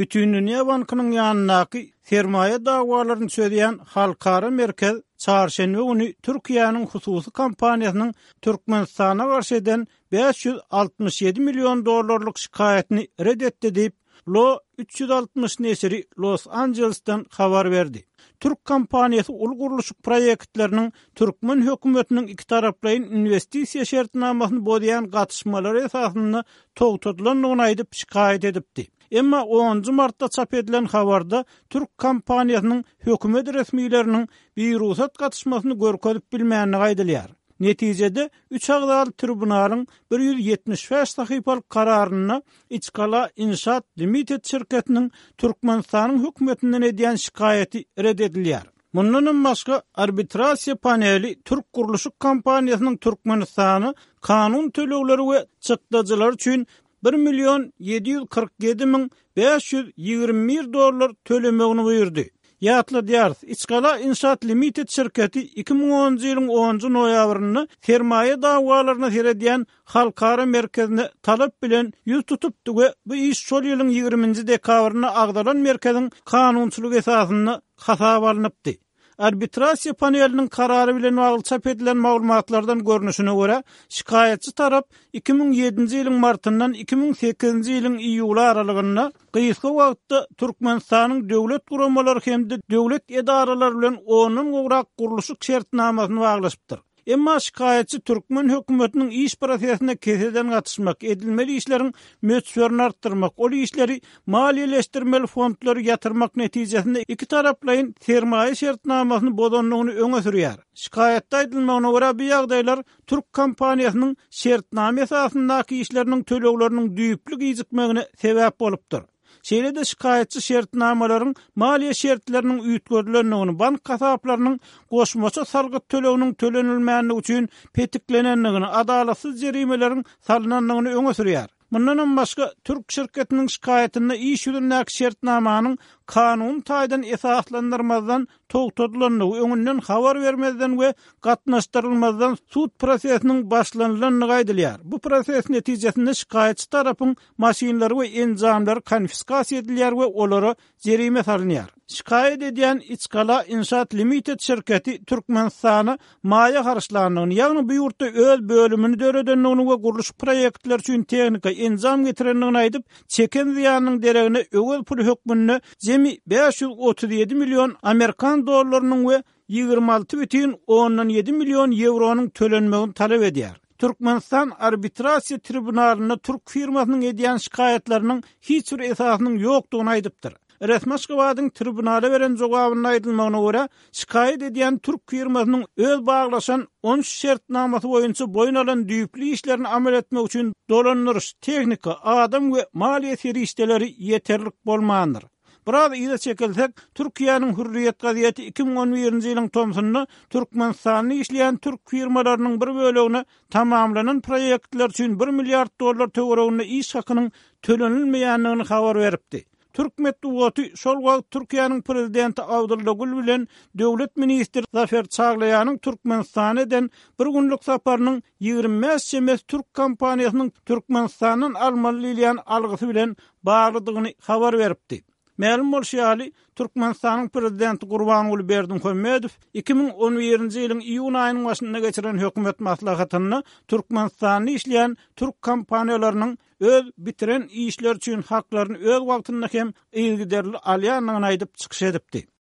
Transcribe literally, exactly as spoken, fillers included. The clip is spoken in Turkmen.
Bütindünýä bankynyň ýanyndaky sermaýa dawalaryny çözýän halkara merkez çarşenbe güni Türkiýäniň hususy kompaniýasynyň Türkmenistana garşy eden bäş ýüz altmyş ýedi million dollarlyk şikaýatyny ret etdi diýip, Lo üç ýüz altmyş neşiri Los Anjelesden habar berdi. Türk kompaniýasy uly gurluşyk proýektleriniň türkmen hökümetiniň ikitaraplaýyn inwestisiýa şertnamasyny bozýan gatyşmalary esasynda togtadylandygyny aýdyp şikaýat edipdi. Emma onunjy martda çap edilen habarda türk kompaniýasynyň hökümet resmileriniň birugsat gatyşmasyny görkezip bilmändigi aýdylýar. Netijede üç agzaly tribunalyň bir ýüz ýetmiş bäş sahypalyk kararynda Içgala Inşaat Limited şirketiniň Türkmenistanyň hökümetinden edýän şikaýaty ret edilýär. Mundanam başga arbitrasiýa paneli Türk gurluşyk kompaniýasynyň Türkmenistana kanun tölegleri we çykdajylary üçin bir million ýedi ýüz kyrk ýedi müň bäş ýüz ýigrimi bir dollar tölemegini buýurdy. Ýatladýarys, Içgala Inşaat Limited şirketi iki müň onunjy ýylyň onunjy noýabrynda sermaýa dawalaryna seredýän halkara merkezine talap bilen ýüz tutupdy we bu iş şol ýylyň ýigriminji dekabrynda agzalan merkeziň kanunçylyk esasynda hasaba alnypdy. Arbitrasiýa paneliniň karary bilen bagly çap edilen maglumatlardan görnüşine görä, şikaýatçy tarap iki müň ýedinji ýylyň martyndan iki müň sekizinji ýylyň iýuly aralygynda gysga wagtda Türkmenistanyň döwlet guramalary hem-de döwlet edaralary bilen ondan gowrak gurluşyk şertnamasyny baglaşypdyr. Emma şikaýatçy türkmen hökümetiniň iş prosesine keseden gatyşmak, edilmeli işleriň möçberini artdyrmak, ol işleri maliýeleşdirmeli fondlary ýatyrmak netijesinde iki taraplaýyn sermaýa şertnamasyny bozandygyny öňe sürýär. Şikaýatda aýdylmagyna görä, bu ýagdaýlar türk kompaniýasynyň şertnama esasyndaky işleriniň tölegleriniň düýpli gijikmegine sebäp bolupdyr. Şeýle-de şikaýatçy şertnamalaryň maliýe şertleriniň üýtgedilendigini, bank hasaplarynyň goşmaça salgyt töleginiň tölenilmändigi üçin petiklenendigini, adalatsyz jerimeleriň salynandygyny öňe sürýär. Mundanam başga türk şirketiniň şikaýatynda iş ýüzündäki şertnamanyň kanun taýdan esaslandyrmazdan togtadylandygy, öňünden habar bermezden we gatnaşdyrylmazdan sud prosesiniň başlanylandygy aýdylýar. Bu proses netijesinde şikaýatçy tarapyň maşynlary we enjamlary konfiskasiýa edilýär we olara jerime salynýar. Şikaýat edýän Içgala Inşaat Limited şirketi Türkmenistana maýa harçlandygyny, ýagny bu ýurtda öz bölümini döredendigini we gurluşyk proýektleri üçin tehnika, enjam getirendigini aýdyp, çeken zyýanynyň deregine öwez puly hökmünde jemi bäş ýüz otuz ýedi million amerikan dollarynyň we ýigrimi alty bütin ondan ýedi million ýewronyň tölenmegini talap edýär. Türkmenistan arbitrasiýa tribunalynda türk firmasynyň edýän şikaýatlarynyň hiç bir esasynyň ýokdugyny aýdypdyr. Resmi Aşgabadyň tribunala beren jogabynda aýdylmagyna görä, şikaýat edýän türk firmasynyň öz baglaşan on üç şertnamasy boýunça boýun alan düýpli işlerini amal etmek üçin dolandyryş, tehnika, adam we maliýe serişdeleri ýeterlik bolmandyr. Biraz yza çekilsek, Türkiýäniň Hürriýet gazeti iki müň on birinji ýylyň tomsunda Türkmenistanda işleýän türk firmalarynyň bir bölegine tamamlanan proýektler üçin bir milliard dollar töwereginde iş hakynyň tölenilmeýändigini habar beripdi. Türk metbugaty şol wagt Türkiýäniň prezidenti Abdylla Gül bilen döwlet ministri Zafer Çaglaýanyň Türkmenistana eden bir günlük saparynyň ýigrimi bäş çemesi türk kompaniýasynyň Türkmenistandan almaly diýilýän algysy bilen baglydygyny habar beripdi. Mälim bolşy ýaly, Türkmenistanyň prezidenti Gurbanguly Berdimuhamedow iki müň on birinji ýylyň iýun aýynyň başynda geçiren hökümet maslahatynda Türkmenistanda işleýän türk kompaniýalarynyň öz bitiren işleri üçin haklaryny öz wagtynda hem yzygiderli alýandygyny aýdyp çykyş edipdi.